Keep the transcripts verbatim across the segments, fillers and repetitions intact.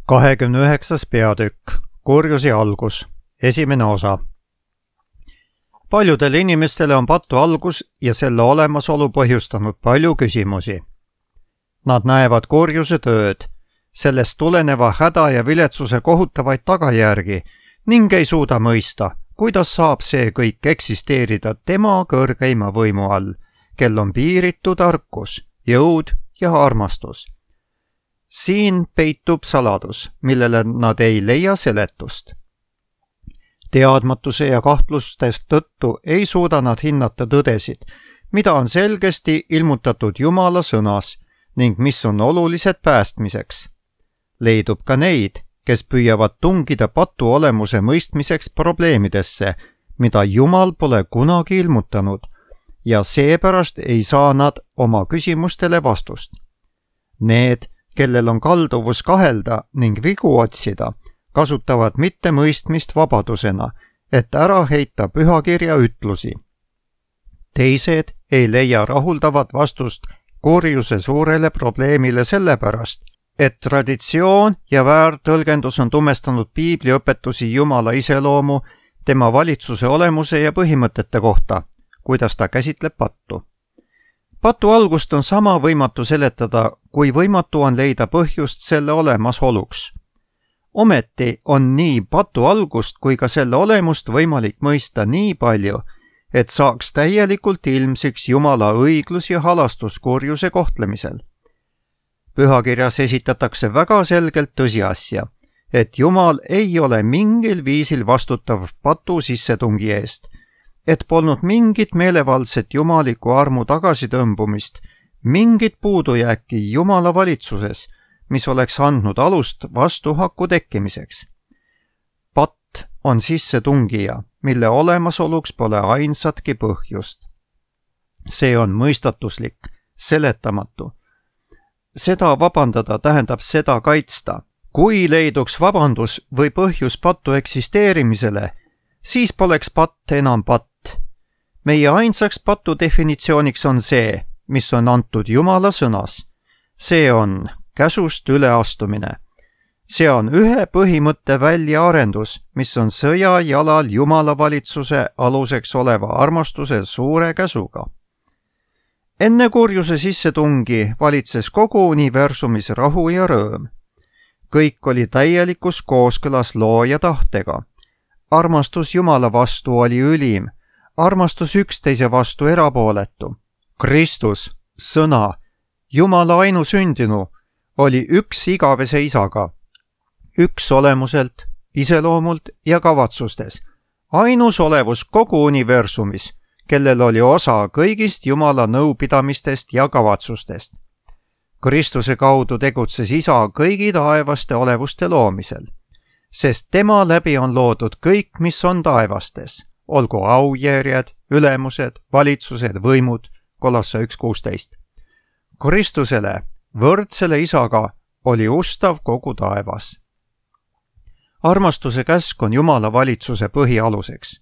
kahekümne üheksas peatükk. Kurjuse algus. Esimene osa. Paljudele inimestele on patu algus ja selle olemasolu põhjustanud palju küsimusi. Nad näevad kurjuse tööd, sellest tuleneva häda ja viletsuse kohutavaid tagajärgi ning ei suuda mõista, kuidas saab see kõik eksisteerida tema kõrgeima võimu all, kel on piiritu tarkus, jõud ja armastus. Siin peitub saladus, millele nad ei leia seletust. Teadmatuse ja kahtlustest tõttu ei suuda nad hinnata tõdesid, mida on selgesti ilmutatud Jumala sõnas ning mis on olulised päästmiseks. Leidub ka neid, kes püüavad tungida patu olemuse mõistmiseks probleemidesse, mida Jumal pole kunagi ilmutanud, ja seepärast ei saa nad oma küsimustele vastust. Need, kellel on kalduvus kahelda ning vigu otsida, kasutavad mittemõistmist vabadusena, et ära heita pühakirja ütlusi. Teised ei leia rahuldavat vastust kurjuse suurele probleemile sellepärast, et traditsioon ja väärtõlgendus on tumestanud piibli õpetusi Jumala iseloomu, tema valitsuse olemuse ja põhimõtete kohta, kuidas ta käsitleb pattu. Patu algust on sama võimatu seletada, kui võimatu on leida põhjust selle olemasoluks. Ometi on nii patu algust kui ka selle olemust võimalik mõista nii palju, et saaks täielikult ilmsiks Jumala õiglus ja halastus kurjuse kohtlemisel. Pühakirjas esitatakse väga selgelt tõsiasja, et Jumal ei ole mingil viisil vastutav patu sissetungi eest, et polnud mingit meelevaldset jumaliku armu tagasitõmbumist, mingit puudujääki Jumala valitsuses, mis oleks andnud alust vastuhaku tekkimiseks. Patt on sissetungija, mille olemasoluks pole ainsatki põhjust. See on mõistatuslik, seletamatu. Seda vabandada tähendab seda kaitsta. Kui leiduks vabandus või põhjus patu eksisteerimisele, siis poleks patt enam patt. Meie ainsaks patu definitsiooniks on see, mis on antud Jumala sõnas. See on käsust üleastumine. See on ühe põhimõtte väljaarendus, mis on sõja jalal Jumala valitsuse aluseks oleva armastuse suure käsuga. Enne kurjuse sissetungi valitses kogu universumis rahu ja rõõm. Kõik oli täielikus kooskõlas looja tahtega. Armastus Jumala vastu oli ülim, armastus üksteise vastu erapooletu. Kristus, sõna, Jumala ainusündinu, oli üks igavese isaga, üks olemuselt, iseloomult ja kavatsustes, ainus olevus kogu universumis, kellel oli osa kõigist Jumala nõupidamistest ja kavatsustest. Kristuse kaudu tegutses isa kõigi taevaste olevuste loomisel, sest tema läbi on loodud kõik, mis on taevastes, olgu aujärjed, ülemused, valitsused, võimud, Kolossa üks kuusteist. Kristusele, võrdsele isaga, oli ustav kogu taevas. Armastuse käsk on Jumala valitsuse põhialuseks.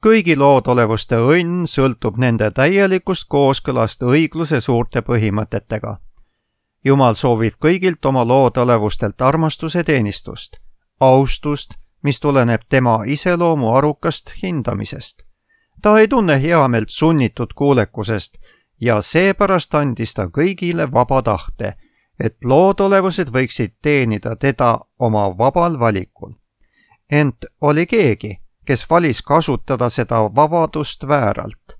Kõigi loodolevuste õnn sõltub nende täielikust kooskõlast õigluse suurte põhimõtetega. Jumal soovib kõigilt oma loodolevustelt armastuse teenistust, austust, mis tuleneb tema iseloomu arukast hindamisest. Ta ei tunne heameelt sunnitud kuulekusest ja seepärast andis ta kõigile vaba tahte, et loodolevused võiksid teenida teda oma vabal valikul. Ent oli keegi, kes valis kasutada seda vabadust vääralt.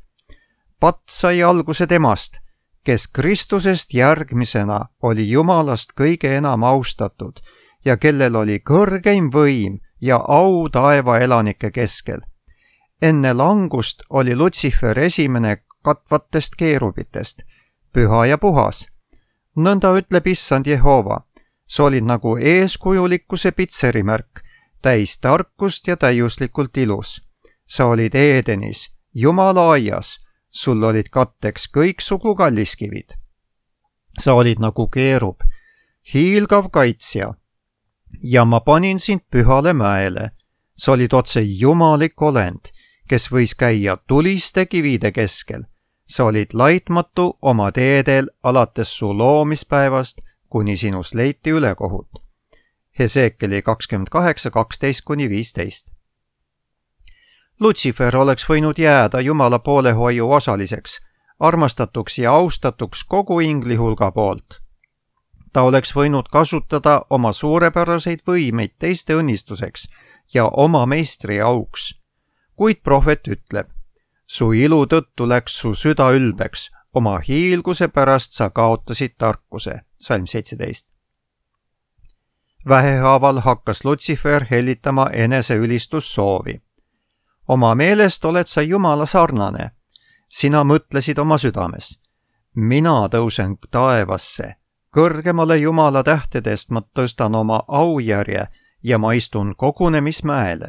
Patt sai alguse temast, kes Kristusest järgmisena oli Jumalast kõige enam austatud ja kellel oli kõrgeim võim ja au taeva elanike keskel. Enne langust oli Lutsifer esimene katvatest keerubitest, püha ja puhas. Nõnda ütleb issand Jehova, sa olid nagu eeskujulikkuse pitserimärk, täis tarkust ja täiuslikult ilus. Sa olid Eedenis, Jumala aias, sul olid katteks kõiksugu kalliskivid. Sa olid nagu keerub, hiilgav kaitsja, ja ma panin sind pühale mäele. Sa olid otse jumalik olend, kes võis käia tuliste kivide keskel. Sa olid laitmatu oma teedel alates su loomispäevast, kuni sinust leiti ülekohut. Heseekeli kakskümmend kaheksa, kaksteist kuni viisteist. Lutsifer oleks võinud jääda Jumala poolehoiu osaliseks, armastatuks ja austatuks kogu ingli hulga poolt. Ta oleks võinud kasutada oma suurepäraseid võimeid teiste õnnistuseks ja oma meistri auks. Kuid prohvet ütleb, su ilu tõttu läks su süda ülbeks, oma hiilguse pärast sa kaotasid tarkuse. Salm seitseteist. Vähehaaval hakkas Lutsifer hellitama enese ülistussoovi. Oma meelest oled sa Jumala sarnane. Sina mõtlesid oma südames. Mina tõusen taevasse. Kõrgemale Jumala tähtedest ma tõstan oma aujärje ja ma istun kogunemismäele.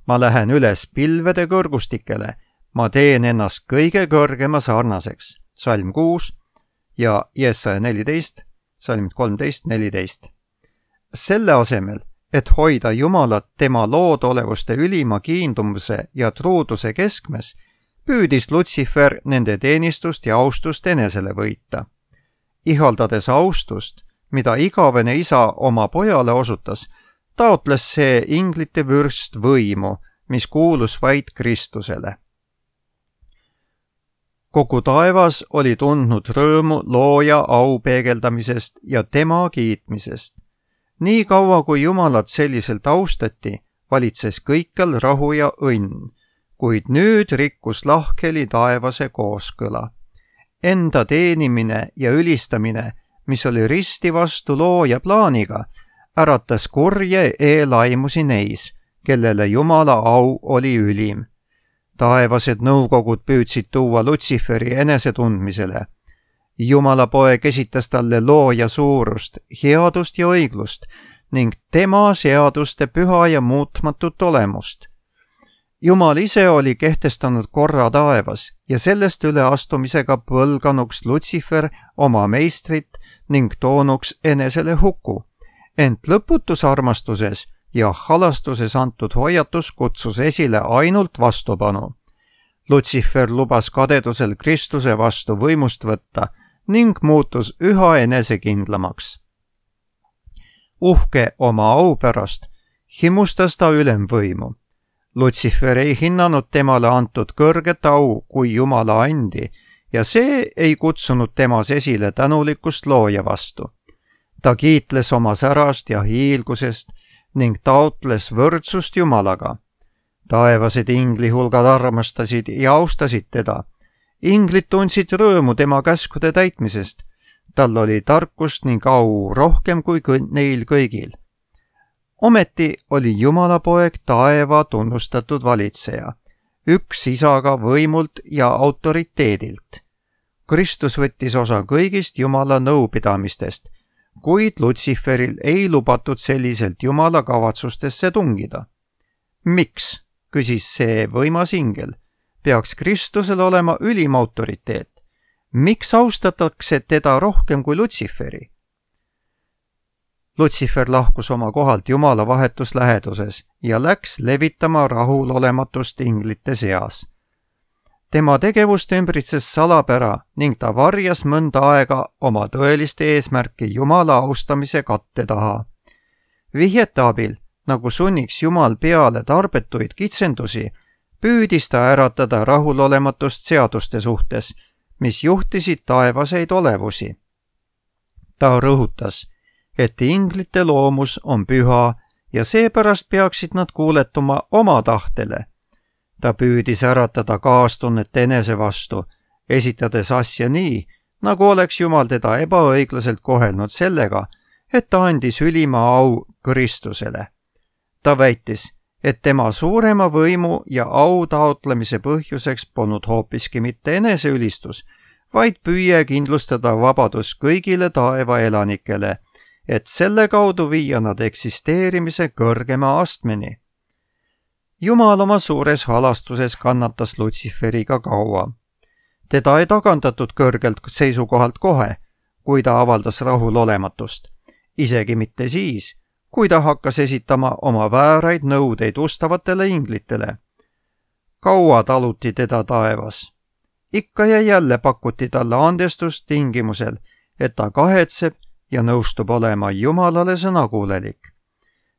Ma lähen üles pilvede kõrgustikele. Ma teen ennast kõige kõrgema sarnaseks. Salm kuus ja Jesaja neliteist, salm kolmteist, neliteist. Selle asemel, et hoida Jumalat tema loodolevuste ülima kiindumuse ja truuduse keskmes, püüdis Lutsifer nende teenistust ja austust enesele võita. Ihaldades austust, mida igavene isa oma pojale osutas, taotles see inglite vürst võimu, mis kuulus vaid Kristusele. Kogu taevas oli tundnud rõõmu looja au peegeldamisest ja tema kiitmisest. Nii kaua, kui Jumalat selliselt austati, valitses kõikjal rahu ja õnn, kuid nüüd rikkus lahkheli taevase kooskõla. Enda teenimine ja ülistamine, mis oli risti vastu looja plaaniga, äratas kurje eelaimusi neis, kellele Jumala au oli ülim. Taevased nõukogud püüdsid tuua Lutsiferi enesetundmisele. Jumala poeg esitas talle looja suurust, headust ja õiglust ning tema seaduste püha ja muutmatut olemust. Jumal ise oli kehtestanud korra taevas ja sellest üle astumisega põlganuks Lutsifer oma meistrit ning toonuks enesele huku. Ent lõputus armastuses ja halastuses antud hoiatus kutsus esile ainult vastupanu. Lutsifer lubas kadedusel Kristuse vastu võimust võtta ning muutus üha enesekindlamaks. Uhke oma au pärast himustas ta ülemvõimu. Lutsifer ei hinnanud temale antud kõrget au kui Jumala andi ja see ei kutsunud temas esile tänulikkust looja vastu. Ta kiitles oma särast ja hiilgusest ning taotles võrdsust Jumalaga. Taevased ingli hulgad armastasid ja austasid teda. Inglid tundsid rõõmu tema käskude täitmisest. Tal oli tarkust ning au rohkem kui neil kõigil. Ometi oli Jumala poeg taeva tunnustatud valitseja, üks isaga võimult ja autoriteedilt. Kristus võttis osa kõigist Jumala nõupidamistest, kuid Lutsiferil ei lubatud selliselt Jumala kavatsustesse tungida. Miks, küsis see võimas ingel, peaks Kristusel olema ülim autoriteet? Miks austatakse teda rohkem kui Lutsiferi? Lutsifer lahkus oma kohalt Jumala vahetus läheduses ja läks levitama rahulolematust inglite seas. Tema tegevust ümbritses salapära ning ta varjas mõnda aega oma tõeliste eesmärki Jumala austamise katte taha. Vihjete abil, nagu sunniks Jumal peale tarbetuid kitsendusi, püüdis ta äratada rahulolematust seaduste suhtes, mis juhtisid taevaseid olevusi. Ta rõhutas, et inglite loomus on püha ja seepärast peaksid nad kuuletuma oma tahtele. Ta püüdis äratada kaastunnet enese vastu, esitades asja nii, nagu oleks Jumal teda ebaõiglaselt kohelnud sellega, et ta andis ülima au Kristusele. Ta väitis, et tema suurema võimu ja au taotlemise põhjuseks polnud hoopiski mitte eneseülistus, vaid püüe kindlustada vabadus kõigile taeva elanikele, et selle kaudu viia nad eksisteerimise kõrgema astmeni. Jumal oma suures halastuses kannatas Lutsiferiga kaua. Teda ei tagandatud kõrgelt seisukohalt kohe, kui ta avaldas rahulolematust, isegi mitte siis, kui ta hakkas esitama oma vääraid nõudeid ustavatele inglitele. Kaua taluti teda taevas. Ikka ja jälle pakuti talle andestust tingimusel, et ta kahetseb ja nõustub olema Jumalale sõnakuulelik.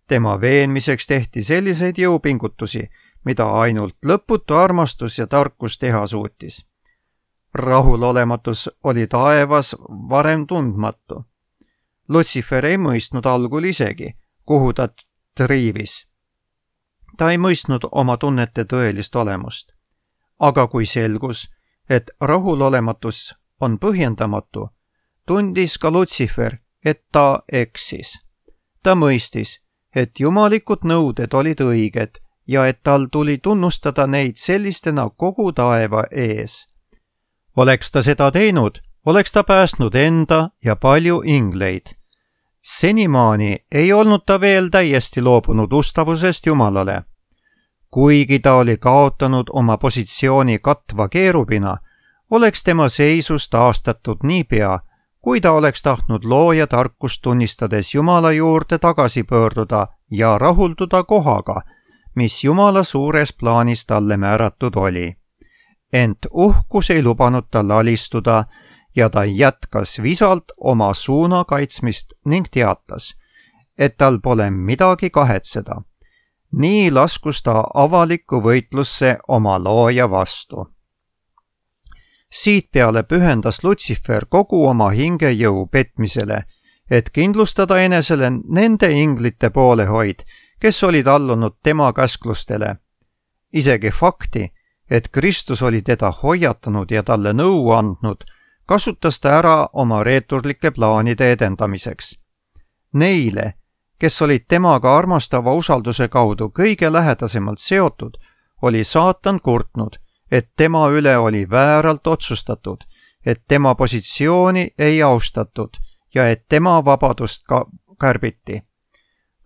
tema veenmiseks tehti selliseid jõupingutusi, mida ainult lõputu armastus ja tarkus teha suutis. Rahulolematus oli taevas varem tundmatu. Lutsifer ei mõistnud algul isegi, kuhu ta triivis. Ta ei mõistnud oma tunnete tõelist olemust. Aga kui selgus, et rahulolematus on põhjendamatu, tundis ka Lutsifer, et ta eksis. Ta mõistis, et jumalikud nõuded olid õiged ja et tal tuli tunnustada neid sellistena kogu taeva ees. Oleks ta seda teinud, oleks ta päästnud enda ja palju ingleid. Senimaani ei olnud ta veel täiesti loobunud ustavusest Jumalale. Kuigi ta oli kaotanud oma positsiooni katva keerubina, oleks tema seisus taastatud niipea, kui ta oleks tahtnud looja tarkust tunnistades Jumala juurde tagasi pöörduda ja rahulduda kohaga, mis Jumala suures plaanis talle määratud oli. Ent uhkus ei lubanud tal alistuda ja ta jätkas visalt oma suuna kaitsmist ning teatas, et tal pole midagi kahetseda. Nii laskus ta avalikku võitlusse oma looja vastu. Siit peale pühendas Lutsifer kogu oma hingejõu petmisele, et kindlustada enesele nende inglite poolehoid, kes olid allunud tema käsklustele. Isegi fakti, et Kristus oli teda hoiatanud ja talle nõu andnud, kasutas ta ära oma reeturlike plaanide edendamiseks. Neile, kes olid temaga armastava usalduse kaudu kõige lähedasemalt seotud, oli saatan kurtnud, et tema üle oli vääralt otsustatud, et tema positsiooni ei austatud ja et tema vabadust ka kärbiti.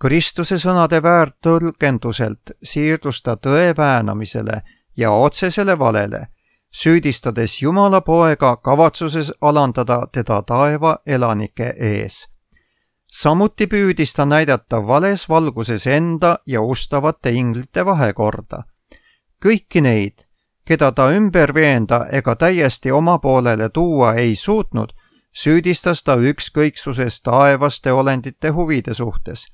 Kristuse sõnade väärtõlgenduselt siirdus ta tõe väänamisele ja otsesele valele, süüdistades Jumala poega kavatsuses alandada teda taeva elanike ees. Samuti püüdis ta näidata vales valguses enda ja ustavate inglite vahekorda. Kõiki neid, keda ta ümber veenda ega täiesti oma poolele tuua ei suutnud, süüdistas ta ükskõiksuses taevaste olendite huvide suhtes.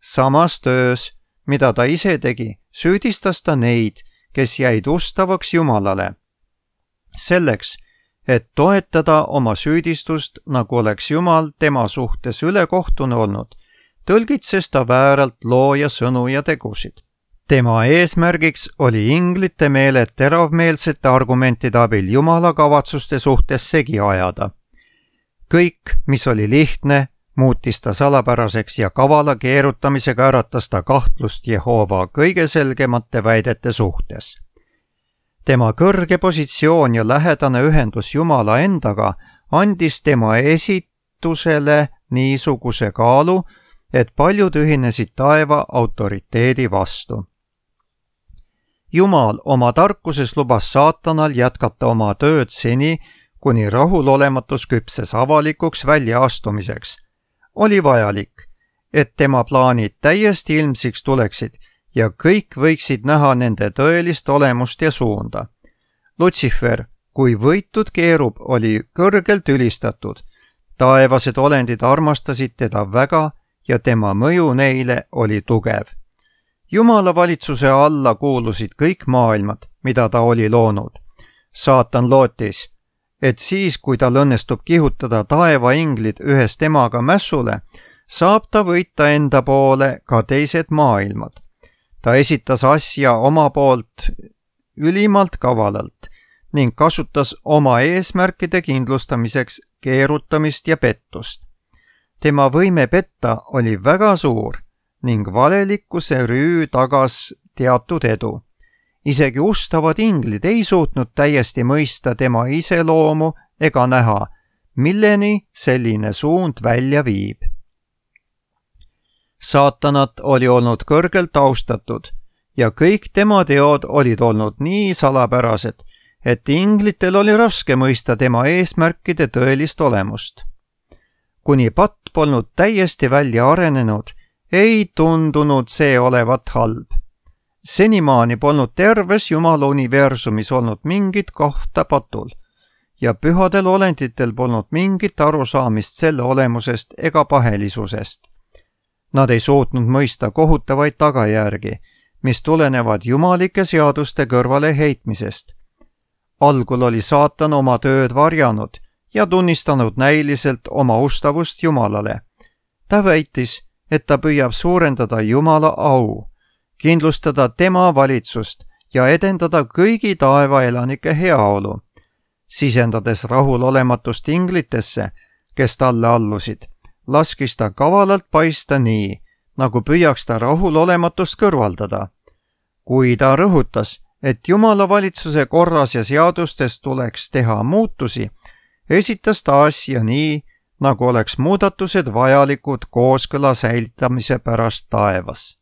Samas töös, mida ta ise tegi, süüdistas ta neid, kes jäid ustavaks Jumalale. Selleks, et toetada oma süüdistust, nagu oleks Jumal tema suhtes ülekohtune olnud, tõlgitses ta vääralt looja sõnu ja tegusid. Tema eesmärgiks oli inglite meeled teravmeelsete argumentide abil Jumala kavatsuste suhtes segi ajada. Kõik, mis oli lihtne, muutis ta salapäraseks ja kavala keerutamisega äratas ta kahtlust Jehova kõige selgemate väidete suhtes. Tema kõrge positsioon ja lähedane ühendus Jumala endaga andis tema esitusele niisuguse kaalu, et paljud ühinesid taeva autoriteedi vastu. Jumal oma tarkuses lubas saatanal jätkata oma tööd seni, kuni rahulolematus küpses avalikuks väljaastumiseks. Oli vajalik, et tema plaanid täiesti ilmsiks tuleksid ja kõik võiksid näha nende tõelist olemust ja suunda. Lutsifer, kui võitud keerub, oli kõrgelt ülistatud. Taevased olendid armastasid teda väga ja tema mõju neile oli tugev. Jumala valitsuse alla kuulusid kõik maailmad, mida ta oli loonud. Saatan lootis, et siis, kui tal õnnestub kihutada taevainglid ühes temaga mässule, saab ta võita enda poole ka teised maailmad. Ta esitas asja oma poolt ülimalt kavalalt ning kasutas oma eesmärkide kindlustamiseks keerutamist ja pettust. Tema võime petta oli väga suur ning valelikkuse rüü tagas teatud edu. Isegi ustavad inglid ei suutnud täiesti mõista tema iseloomu ega näha, milleni selline suund välja viib. Saatanat oli olnud kõrgelt austatud ja kõik tema teod olid olnud nii salapärased, et inglitel oli raske mõista tema eesmärkide tõelist olemust. Kuni patt polnud täiesti välja arenenud, ei tundunud see olevat halb. Senimaani polnud terves Jumala universumis olnud mingit kohta patul ja pühadel olenditel polnud mingit arusaamist selle olemusest ega pahelisusest. Nad ei suutnud mõista kohutavaid tagajärgi, mis tulenevad jumalike seaduste kõrvale heitmisest. Algul oli saatan oma tööd varjanud ja tunnistanud näiliselt oma ustavust Jumalale. Ta väitis, et ta püüab suurendada Jumala au, kindlustada tema valitsust ja edendada kõigi taevaelanike heaolu. Sisendades rahulolematust inglitesse, kes talle allusid, laskis ta kavalalt paista nii, nagu püüaks ta rahulolematust kõrvaldada. Kui ta rõhutas, et Jumala valitsuse korras ja seadustes tuleks teha muutusi, esitas ta asja nii, nagu oleks muudatused vajalikud kooskõla säilitamise pärast taevas.